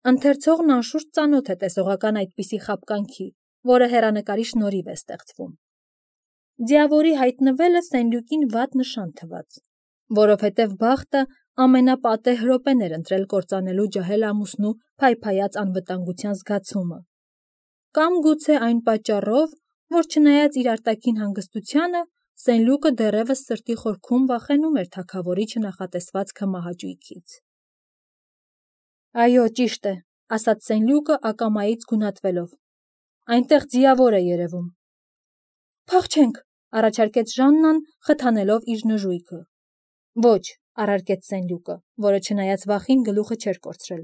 Ընթերցողն անշուշտ ծանոթ է տեսողական այդպիսի խաբկանքի, որը հեռանկարի շնորհիվ է ստեղծվում։ Ձիավորի հայտնվելը Սենլյուկին վատ նշան թվաց, որովհետև բախտը ամենապատեհ րոպեն էր ընտրել կործանելու ջահել ամուսնու փայփայած անվտանգության զգացումը, կամ գուցե այն պատճառով, որ չնայած իր արտաքին հանգստությանը, Սենլյուկը դեռևս սրտի խորքում վախենում էր թագավորի չնախատեսված քմահաճույքից։ Այո, ճիշտ է, ասաց Սենլյուկը ակամայից գունատվելով։ Այնտեղ ձիավոր է երևում։ Փախչենք, առաջարկեց Ժաննան, խթանելով իր նժույգը։ Ոչ, առարկեց Սենլյուկը, որը չնայած վախին գլուխը չէր կորցրել։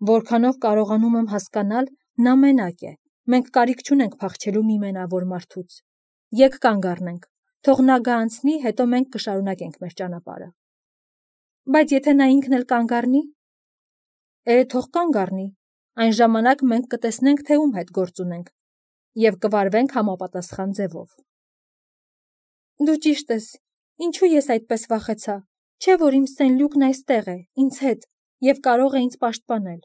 Որքանով կարողանում եմ հասկանալ, նա մենակ է։ Մենք կարիք չունենք փախչելու մի մենավոր մարդուց։ Եկ կանգ առնենք, թող նա գա անցնի, հետո մենք կշարունակենք մեր ճանապարհը։ Բայց եթե նա ինքն էլ կանգ առնի, թող կանգ առնի, այն ժամանակ մենք կտեսնենք, թե ում հետ գործ ունենք, և կվարվենք համապատասխան ձևով։ Դու ճիշտ ես, ինչու ես այդպես վախեցա, չէ՞ որ իմ Սենլյուկն այստեղ է, ինձ հետ, և կարող է ինձ պաշտպանել։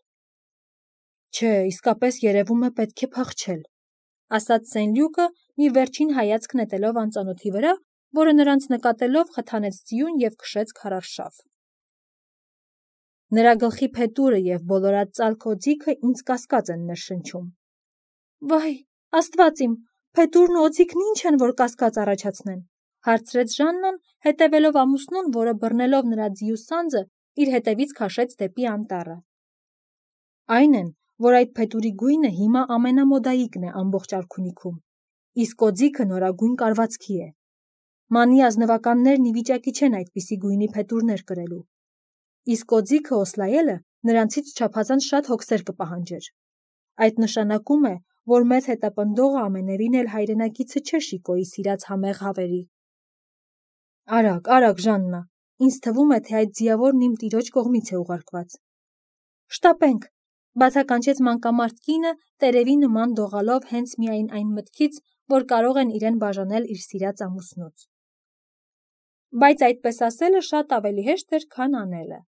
Չէ, իսկապես երևում է պետք է փախչել, ասաց Սենլյուկը, մի վերջին հայացք նետելով անծանոթի վրա, որը նրանց նկատելով խթանեց ձիուն և քշեց քարառշավ։ Նրա գլխի փետուրը և բոլորած ծալք օձիքը ինձ կասկած են ներշնչում։ Վայ, Աստված իմ, փետուրն ու օձիքն ինչ են, որ կասկած առաջացնեն, հարցրեց Ժաննան, հետևելով ամուսնուն, որը բռնելով նրա ձիու սանձը, իր հետևից քաշեց դեպի անտառը։ Այն են, որ այդ փետուրի գույնը հիմա ամենամոդայիկն է ամբողջ արքունիքում, իսկ օձիքը նորագույն կարվածքի է։ Մանի ազնվականներն ի վիճակի չեն այդպիսի գույնի փետուրներ կրելու, իսկ օձիքը օսլայելը նրանցից չափազանց շատ հոգսեր կպահանջեր։ Այդ նշանակում է, որ մեզ հետապնդողը ամենևին էլ հայրենակիցը չէ Շիկոյի սիրած համեղ հավերի։ Արագ, արագ, Ժաննա, ինձ թվում է, թե այդ ձիավորն իմ տիրոջ կողմից է ուղարկված։ Շտապենք, բացականչեց մանկամարդ կինը, տերևի նման դողալով հենց միայն այն մտքից, որ կարող են իրեն բաժանել իր սիրած ամուսնուց։ Բայց այդպես ասելը շատ ավելի հեշտ էր, քան անելը։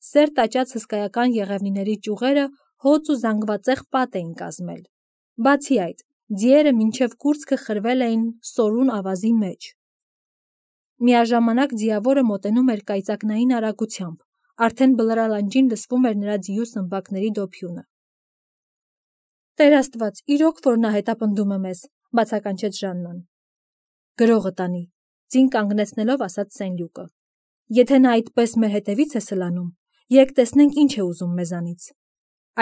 Սեր տաճած հսկայական եղևնիների ճյուղերը հոծ ու զանգվածեղ պատ էին կազմել։ Բացի այդ, ձիերը մինչև կուրծքը խրվել էին սորուն ավազի մեջ։ Միաժամանակ ձիավորը մոտենում էր կայծակնային արագությամբ, արդեն բլրալանջին լսվում էր նրա ձիու սմբակների դոփյունը։ Տեր Աստված, իրոք որ նա հետապնդում է մեզ, բացականչեց Ժաննան։ Գրողը տանի, ձին կանգնեցնելով ասաց Սենլյուկը։ Եթե նա այդպես մեր հետևից է սլանում, եկ տեսնենք ինչ է ուզում մեզանից։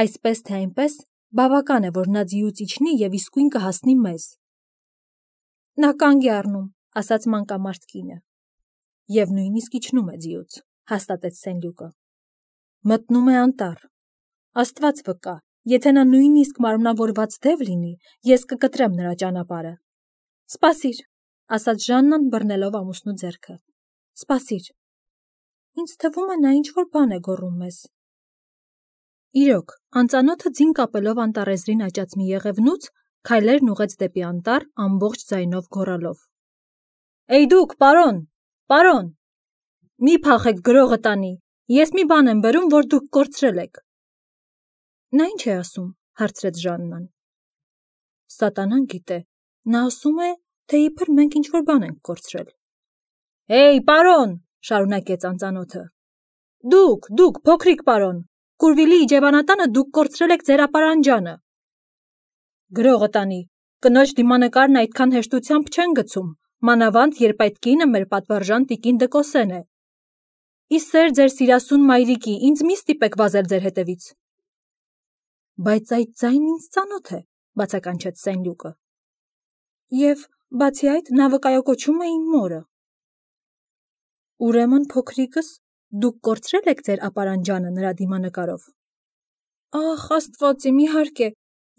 Այսպես թե այնպես, բավական է, որ նա ձիուց իջնի և իսկույն կհասնի մեզ։ Նա կանգ է առնում, ասաց մանկամարդ կինը։ Եվ նույնիսկ իջնում է ձիուց, հաստատեց Սենլյուկը։ Մտնում է անտառ։ Աստված վկա, եթե նա նույնիսկ մարմնավորված դև լինի, ես կկտրեմ նրա ճանապարհը։ Սպասիր, ասաց Ժաննան, բռնելով ամուսնու ձեռքը։ Սպասիր։ Ինձ թվում է նա ինչ-որ բան է գոռում մեզ։ Իրոք, անծանոթը ձին կապելով անտառեզրին աճած մի եղևնուց, քայլերն ուղղեց դեպի անտառ ամբողջ ձայնով գոռալով. Էй դուք, պարոն, պարոն, մի փախեք, գրողը տանի, ես մի բան եմ բերում, որ դուք կորցրել եք։ Նա ինչ է ասում, հարցրեց Ժաննան։ Սատանան գիտե, նա ասում է, թե իբր մենք ինչ-որ բան ենք կորցրել։ Էй, պարոն, շարունակեց անծանոթը։ Դուք, փոքրիկ պարոն, Կուրվիլի իջևանատանը դուք կորցրել եք ձեր ապարանջանը։ Գրողը տանի, կնոջ դիմանկարն այդքան հեշտությամբ չեն գցում, մանավանդ երբ այդ կինը մեր պատվարժան տիկին Դկոսեն է։ Ի սեր ձեր սիրասուն մայրիկի, ինձ մի ստիպեք վազել ձեր հետևից։ Բայց այդ ձայնն ինձ ծանոթ է, բացականչեց Սենլյուկը։ Եվ բացի այդ, նա վկայակոչում է իմ մորը։ Ուրեմն, փոքրիկս, դուք կորցրել եք ձեր ապարանջանը նրա դիմանկարով։ Ախ, Աստված իմ, իհարկե,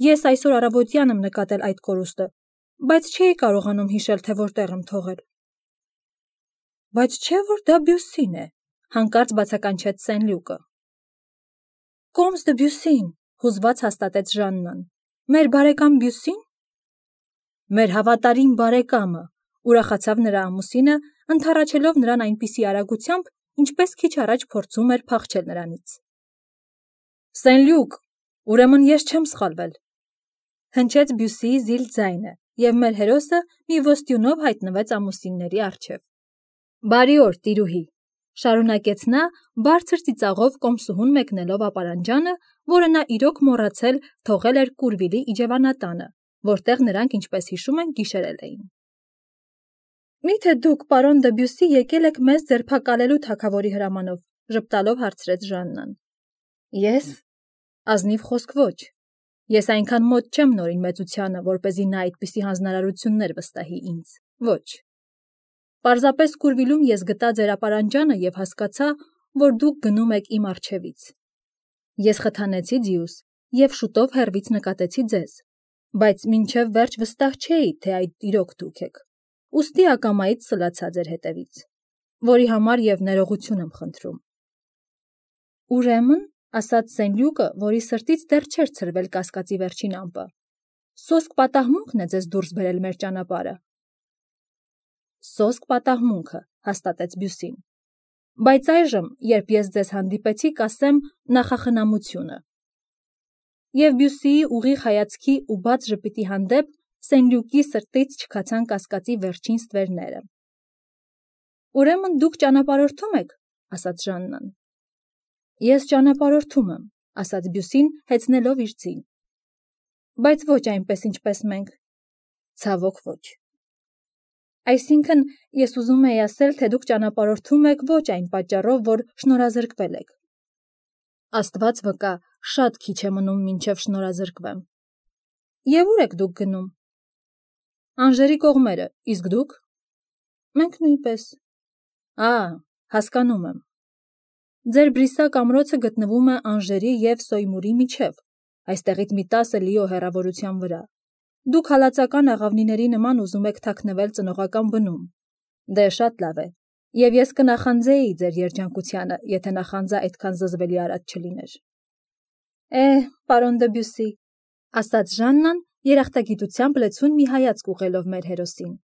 ես այսօր առավոտյան եմ նկատել այդ կորուստը, բայց չէի կարողանում հիշել, թե որտեղ եմ թողել։ Բայց չէ՞ որ դա Բյուսին է, հանկարծ բացականչեց Սենլյուկը։ Կոմս դը Բյուսին, հուզված հաստատեց Ժաննան։ Մեր բարեկամ Բյուսին։ Մեր հավատարիմ բարեկամը, ուրախացավ նրա ամուսինը, ընդառաջելով նրան այնպիսի արագությամբ, ինչպես քիչ առաջ փորձում էր փախչել նրանից։ Սենլյուկ, ուրեմն ես չեմ սխալվել։ Հնչեց Բյուսիի զիլ ձայնը, և մեր հերոսը մի ոստյունով հայտնվեց ամուսինների առջև։ Բարի օր, տիրուհի, շարունակեց նա, բարձր ծիծաղով կոմսուհուն մեկնելով ապարանջանը, որը նա իրոք մոռացել թողել էր Կուրվիլի իջևանատանը, որտեղ նրանք, ինչպես հիշում են, գիշերել էին։ Միթե դուք, պարոն դը Բյուսի, եկել եք մեզ ձերբակալելու թագավորի հրամանով, ժպտալով հարցրեց Ժաննան։ Ես։ Ազնիվ խոսք ոչ։ Ես այնքան մոտ չեմ նորին մեծությանը, որպեսզի նա այդպիսի հանձնարարություններ վստահի ինձ։ Ոչ։ Պարզապես Կուրվիլում ես գտա ձեր ապարանջանը և հասկացա, որ դուք գնում եք իմ առջևից։ Ես խթանեցի ձիուս և շուտով հեռվից նկատեցի ձեզ, բայց մինչև վերջ վստահ չէի, թե այդ իրոք դուք եք։ Ուստի ակամայից սլացա ձեր հետևից, որի համար և ներողություն եմ խնդրում։ Ուրեմն, ասաց Սենլյուկը, որի սրտից դեռ չէր ցրվել կասկածի վերջին ամպը, սոսկ պատահմունքն է ձեզ դուրս բերել մեր ճանապարհը։ Սոսկ պատահմունքը, հաստատեց Բյուսին։ Բայց այժմ, երբ ես ձեզ հանդիպեցի, կասեմ նախախնամությունը։ Եվ Բյուսիի ուղիղ հայացքի ու բաց ժպիտի հանդեպ Սենլյուկի սրտից չքացան կասկածի վերջին ստվերները։ Ուրեմն դուք ճանապարհորդում եք, ասաց Ժաննան։ Ես ճանապարհորդում եմ, ասաց Բյուսին, հեծնելով իր ձին։ Բայց ոչ այնպես, ինչպես մենք։ Ցավոք ոչ։ Այսինքն, ես ուզում եի ասել, թե դուք ճանապարհորդում եք ոչ այն պատճառով, որ շնորհազրկվել եք։ Աստված վկա, շատ քիչ է մնում մինչև շնորհազրկվեմ։ Եվ ուր եք դուք գնում։ Անժերի կողմերը, իսկ դուք։ Մենք նույնպես։ Հասկանում եմ։ Ձեր Բրիսակ ամրոցը գտնվում է Անժերի և Սոյմուրի միջև, այստեղից մի 10 լիո հեռավորության վրա։ Դուք հալածական աղավնիների նման ուզում եք թաքնվել ծնողական բնում։ Դե շատ լավ է, և ես կնախանձեի ձեր երջանկությանը, եթե նախանձը այդքան զզվելի արած չլիներ։ Պարոն դը Բյուսի, ասաց Ժաննան, երախտագիտությամբ լեցուն մի հայացք ուղղելով մեր հերոսին։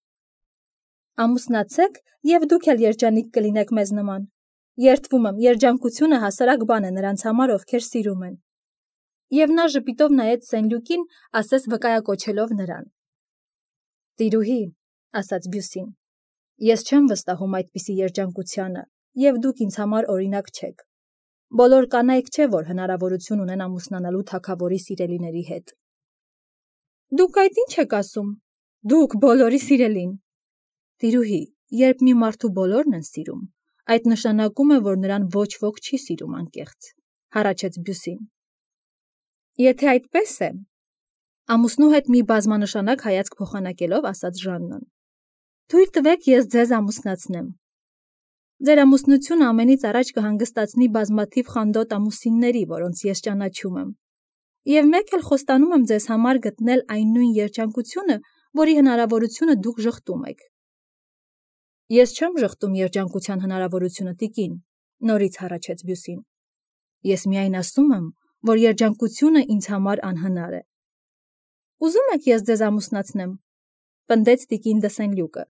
Ամուսնացեք, և դուք էլ երջանիկ կլինեք մեզ նման։ Երդվում եմ, երջանկությունը հասարակ բան է նրանց համար, ովքեր սիրում են։ Եվ նա ժպիտով նայեց Սենլյուկին, ասես վկայակոչելով նրան։ Տիրուհի, ասաց Բյուսին, ես չեմ վստահում այդպիսի երջանկությանը, և դուք ինձ համար օրինակ չեք։ Բոլոր կանայք չէ, որ հնարավորություն ունեն ամուսնանալու թագավորի սիրելիների հետ։ Դուք այդ ինչ եք ասում։ Դուք բոլորի սիրելին։ Տիրուհի, երբ մի մարդու բոլորն են սիրում, այդ նշանակում է, որ նրան ոչ ոք չի սիրում անկեղծ, հառաչեց Բյուսին։ Եթե այդպես է, ամուսնու հետ մի բազմանշանակ հայացք փոխանակելով ասաց Ժաննան։ Թույլ տվեք ես ձեզ ամուսնացնեմ։ Ձեր ամուսնությունը ամենից առաջ կհանգստացնի բազմաթիվ խանդոտ ամուսինների, որոնց ես ճանաչում եմ։ Եվ մեկ էլ խոստանում եմ ձեզ համար գտնել այն նույն երջանկությունը, որի հնարավորությունը դուք ժխտում եք։ Ես չեմ ժխտում երջանկության հնարավորությունը, տիկին, նորից հառաչեց Բյուսին։ Ես միայն ասում եմ, որ երջանկությունը ինձ համար անհնար է։ Ուզում եք ես ձեզ ամուսնացնեմ, պնդեց տիկին դը Սենլյուկը։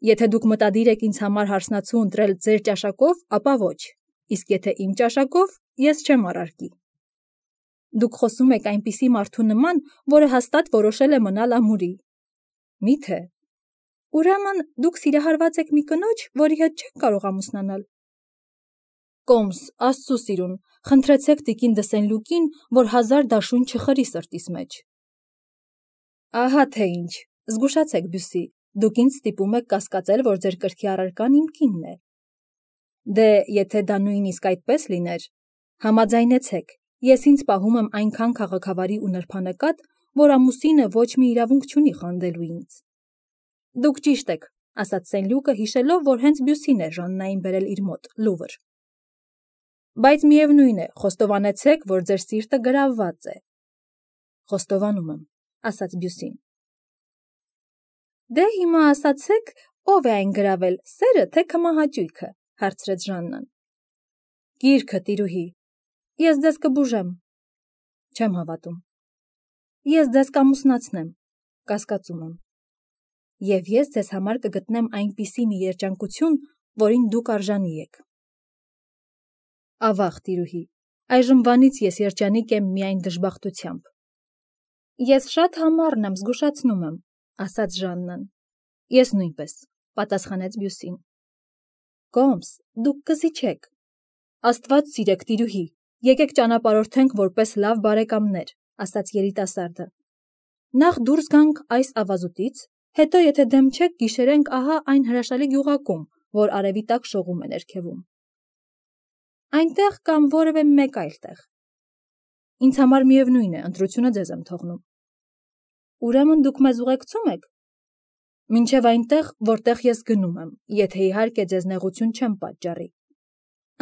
Եթե դուք մտադիր եք ինձ համար հարսնացու ընտրել ձեր ճաշակով, ապա ոչ, իսկ եթե իմ ճաշակով, ես չեմ առարկի։ Դուք խոսում եք այնպիսի մարդու նման, որը հաստատ որոշել է մնալ ամուրի։ Միթե։ Ուրեմն դուք սիրահարված եք մի կնոջ, որի հետ չեք կարող ամուսնանալ։ Կոմս, Աստծու սիրուն, խնդրեցեք տիկին դը Սենլյուկին, որ 1000 դաշույն չխրի սրտիս մեջ։ Ահա թե ինչ, զգուշացեք Բյուսի, դուք ինձ ստիպում եք կասկածել, որ ձեր կրքի առարկան իմ կինն է։ Դե, եթե դա նույնիսկ այդպես լիներ, համաձայնեցեք, ես ինձ պահում եմ այնքան քաղաքավարի ու նրբանկատ, որ ամուսինը ոչ մի իրավունք չունի խանդելու ինձ։ Դուք ճիշտ եք, ասաց Սենլյուկը, հիշելով, որ հենց Բյուսին է Ժաննային բերել իր մոտ, Լուվր։ Բայց միևնույն է, խոստովանեցեք, որ ձեր սիրտը գրավված է։ Խոստովանում եմ, ասաց Բյուսին։ Դե հիմա ասացեք, ով է այն գրավել, սերը թե քմահաճույքը, հարցրեց Ժաննան։ Գիրքը, տիրուհի։ Ես ձեզ կբուժեմ։ Չեմ հավատում։ Ես ձեզ կամուսնացնեմ, կասկածում եմ։ Եվ ես ձեզ համար կգտնեմ այնպիսի մի երջանկություն, որին դուք արժանի եք։ Ավաղ, տիրուհի, Այժմվանից ես երջանիկ եմ միայն դժբախտությամբ։ Ես շատ համառն եմ, զգուշացնում եմ, ասաց Ժաննան։ Ես նույնպես, պատասխանեց Բյուսին։ Կոմս, դուք կզիջեք։ Աստված սիրեք, տիրուհի, եկեք ճանապարհորդենք որպես լավ բարեկամներ, ասաց երիտասարդը։ Նախ դուրս գանք այս ավազուտից, հետո եթե դեմ չեք, գիշերենք ահա այն հրաշալի գյուղակում, որ արևի տակ շողում է ներքևում։ Այնտեղ կամ որևէ մեկ այլ տեղ։ Ինձ համար միևնույն է, ընտրությունը ձեզ եմ թողնում։ Ուրեմն դուք մեզ ուղեկցում եք։ Մինչև այնտեղ, որտեղ ես գնում եմ, եթե իհարկե ձեզ նեղություն չեմ պատճառի։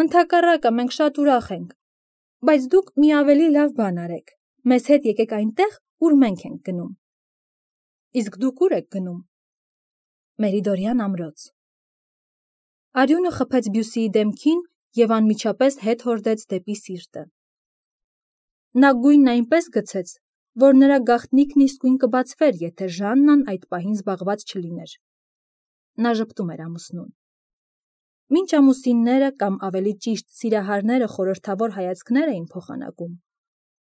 Ընդհակառակը մենք շատ ուրախ ենք, բայց դուք մի ավելի լավ բան արեք։ Մեզ հետ եկեք այնտեղ, ուր մենք ենք գնում։ Իսկ դուք ուր եք գնում։ Մերիդորյան ամրոց։ Արյունը խփեց Բյուսիի դեմքին և անմիջապես հետ հորդեց դեպի սիրտը։ Նա գույնն այնպես գցեց, որ նրա գաղտնիքն իսկույն կբացվեր, եթե Ժաննան այդ պահին զբաղված չլիներ։ Նա ժպտում էր ամուսնուն։ Մինչ ամուսինները կամ ավելի ճիշտ սիրահարները խորհրդավոր հայացքներ էին փոխանակում,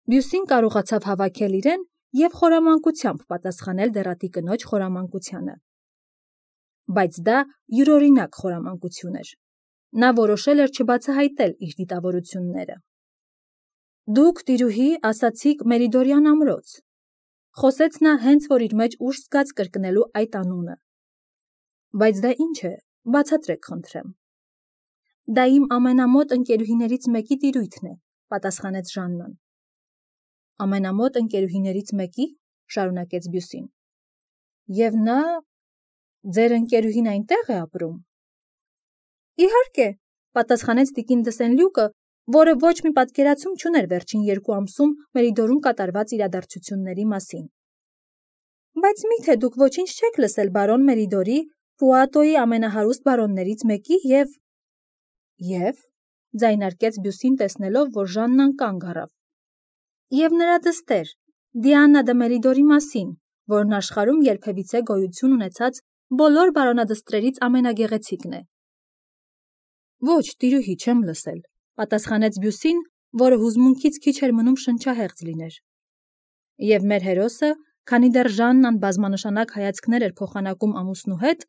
Բյուսին կարողացավ հավաքել իրեն և խորամանկությամբ պատասխանել դեռատի կնոջ խորամանկությանը։ Բայց դա յուրօրինակ խորամանկություն էր։ Նա որոշել էր չբացահայտել իր դիտավորությունները։ Դուք, տիրուհի, ասացիք Մերիդորյան ամրոց, խոսեց նա հենց որ իր մեջ ուժ զգաց կրկնելու այդ անունը։ Բայց դա ինչ է, բացատրեք խնդրեմ։ Դա իմ ամենամոտ ընկերուհիներից մեկի տիրույթն է, պատասխանեց Ժաննան։ Ամենամոտ ընկերուհիներից մեկի, շարունակեց Բյուսին։ Եվ նա ձեր ընկերուհին այնտեղ է ապրում։ Իհարկե, պատասխանեց տիկին Դսենլյուկը, որը ոչ մի պատկերացում չուներ վերջին 2 ամսում Մերիդորում կատարված իրադարձությունների մասին։ Բայց միթե դուք ոչինչ չեք լսել բարոն Մերիդորի, Պուատոյի ամենահարուստ բարոններից մեկի և ձայնարկեց Բյուսին տեսնելով, որ Ժաննան կանգ առավ։ Եվ նրա դստեր, Դիանա դը Մերիդորի մասին, որն աշխարհում երբևիցե գոյություն ունեցած բոլոր բարոնադստրերից ամենագեղեցիկն է։ Ոչ, տիրուհի, չեմ լսել, պատասխանեց Բյուսին, որը հուզմունքից քիչ էր մնում շնչահեղձ լիներ։ Եվ մեր հերոսը, քանի դեռ Ժաննան բազմանշանակ հայացքներ էր փոխանակում ամուսնու հետ,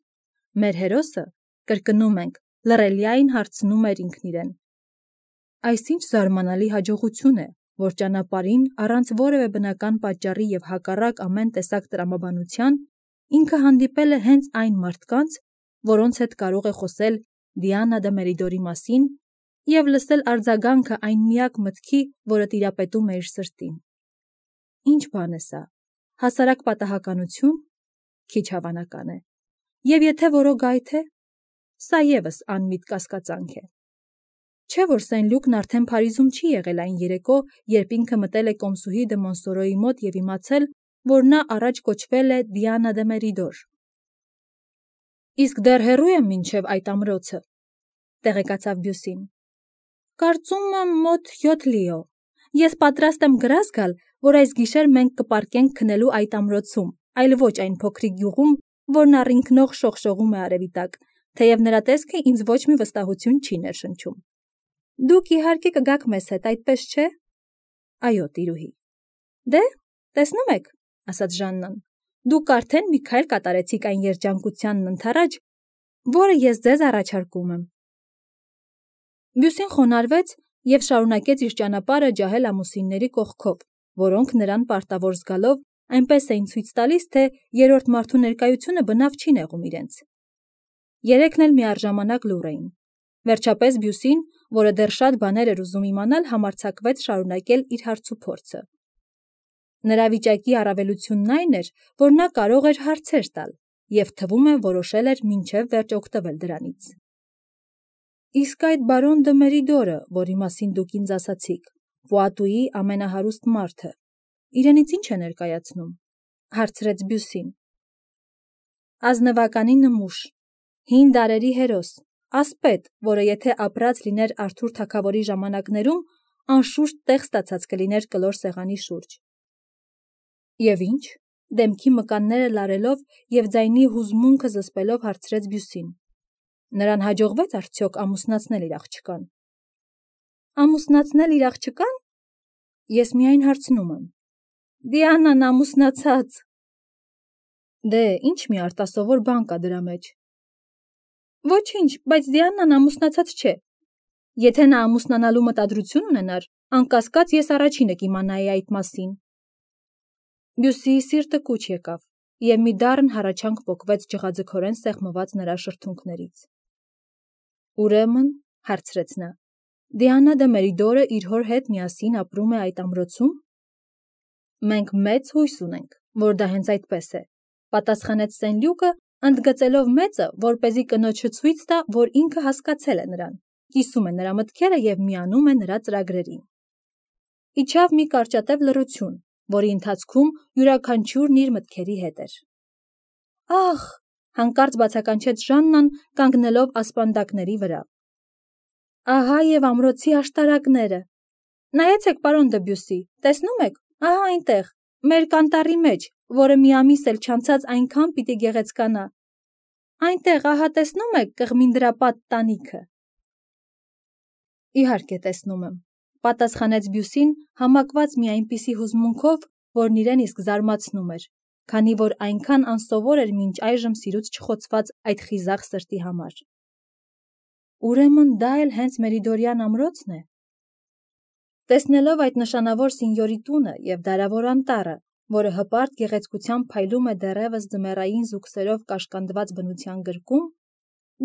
մեր հերոսը, կրկնում ենք, լռելիային հարցնում էր ինքն իրեն. Այսինչ զարմանալի հաջողություն է, որ ճանապարհին առանց որևէ բնական պատճառի և հակառակ ամեն տեսակ տրամաբանության ինքը հանդիպել է հենց այն մարդկանց, որոնց հետ կարող է խոսել Դիանա դը Մերիդորի մասին և լսել արձագանքը այն միակ մտքի, որը տիրապետում է իր սրտին։ Ինչ բան է սա, հասարակ պատահականություն, քիչ հավանական է, և եթե որոգայթ է, սա ևս անմիտ կասկածանք է։ Չէ՞ որ Սենլյուկն արդեն Փարիզում չի եղել այն երեկո, երբ ինքը մտել է կոմսուհի դը Մոնսորոյի մոտ և իմացել, որ նա առաջ կոչվել է Դիանա դը Մերիդոր։ Իսկ դեռ հեռու է մինչև այդ ամրոցը, տեղեկացավ Բյուսին։ Կարծում եմ մոտ 7 լիո։ Ես պատրաստ եմ գրազ գալ, որ այս գիշեր մենք կպառկենք քնելու այդ ամրոցում, այլ ոչ այն փոքրիկ գյուղում, որն առինքնող շողշողում է արևի տակ, թեև նրա տեսքը ինձ ոչ մի վստահություն չի ներշնչում։ Դուք իհարկե կգաք մեզ հետ, այդպես չէ։ Այո, տիրուհի։ Դե, տեսնում եք, ասաց Ժաննան, դուք արդեն մի քայլ կատարեցիք այն երջանկությանն ընդառաջ, որը ես ձեզ առաջարկում եմ։ Բյուսին խոնարհվեց և շարունակեց իր ճանապարհը ջահել ամուսինների կողքով, որոնք նրան պարտավոր զգալով այնպես էին ցույց տալիս, թե երրորդ մարդու ներկայությունը բնավ չի նեղում իրենց։ Երեքն էլ միառժամանակ լուռ էին։ Վերջապես Բյուսին, որը դեռ շատ բաներ էր ուզում իմանալ, համարձակվեց շարունակել իր հարցուփորձը։ Նրա վիճակի առավելությունն այն էր, որ նա կարող էր հարցեր տալ և թվում է որոշել էր մինչև վերջ օգտվել դրանից։ Իսկ այդ բարոն դը Մերիդորը, որի մասին դուք ինձ ասացիք, Պուատուի ամենահարուստ մարդը, իրենից ինչ է ներկայացնում, հարցրեց Բյուսին։ Ազնվականի նմուշ, հին դարերի հերոս, ասպետ, որը եթե ապրած լիներ Արթուր թագավորի ժամանակներում, անշուշտ տեղ ստացած կլիներ կլոր սեղանի շուրջ։ Եվ ինչ, դեմքի մկանները լարելով և ձայնի հուզմունքը զսպելով հարցրեց Բյուսին։ Նրան հաջողվեց արդյոք ամուսնացնել իր աղջկան։ Ամուսնացնել իր աղջկան։ Ես միայն հարցնում եմ։ Դիանան ամուսնացած։ Դե, ինչ մի արտասովոր բան կա դրա մեջ։ Ոչինչ, բայց Դիանան ամուսնացած չէ։ Եթե նա ամուսնանալու մտադրություն ունենար, անկասկած ես առաջինը կիմանայի այդ մասին։ Բյուսիի սիրտը կուչ եկավ, և մի դառն հառաչանք պոկվեց ջղաձգորեն սեղմված նրա շրթունքներից։ Ուրեմն, հարցրեց նա, Դիանա դե Մերիդորը իր հոր հետ միասին ապրում է այդ ամրոցում։ Մենք մեծ հույս ունենք, որ դա հենց այդպես է, պատասխանեց Սենլյուկը, ընդգծելով մեծը, որպեսզի կնոջը ցույց տա, որ ինքը հասկացել է նրան, կիսում է նրա մտքերը և միանում է նրա ծրագրերին։ Իջավ մի կարճատև լռություն, որի ընթացքում յուրաքանչյուրն իր մտքերի հետ էր։ Ախ, հանկարծ բացականչեց Ժաննան, կանգնելով ասպանդակների վրա։ Ահա և ամրոցի աշտարակները։ Նայեցեք, պարոն Դեբյուսի, տեսնում եք, ահա այնտեղ, մեր կանտառի մեջ, որը մի ամիս էլ չանցած այնքան պիտի գեղեցկանա։ Այնտեղ, ահա տեսնում եք կղմինդրապատ տանիքը։ Իհարկե տեսնում եմ, պատասխանեց Բյուսին, համակված մի այնպիսի հուզմունքով, որն իրեն իսկ զարմացնում էր, քանի որ այնքան անսովոր էր մինչ այժմ սիրուց չխոցված այդ խիզախ սրտի համար։ Ուրեմն դա էլ հենց Մերիդորյան ամրոցն է։ Տեսնելով այդ նշանավոր սինյորի տունը և դարավոր անտառը, որը հպարտ գեղեցկությամբ փայլում է դեռևս ձմեռային զուգսերով կաշկանդված բնության գրկում,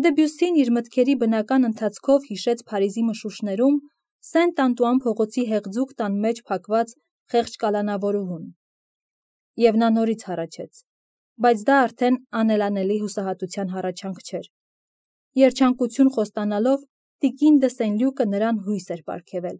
Դեբյուսին իր մտքերի բնական ընթացքով հիշեց Փարիզի մշուշներում Սենտ-Անտուան փողոցի հեղձուկ տան մեջ փակված խեղճ կալանավորուհուն։ Եվ նա նորից հառաչեց, բայց դա արդեն անելանելի հուսահատության հառաչանք չէր։ Երջանկություն խոստանալով, տիկին դե Սենլյուկը նրան հույս էր պարգևել։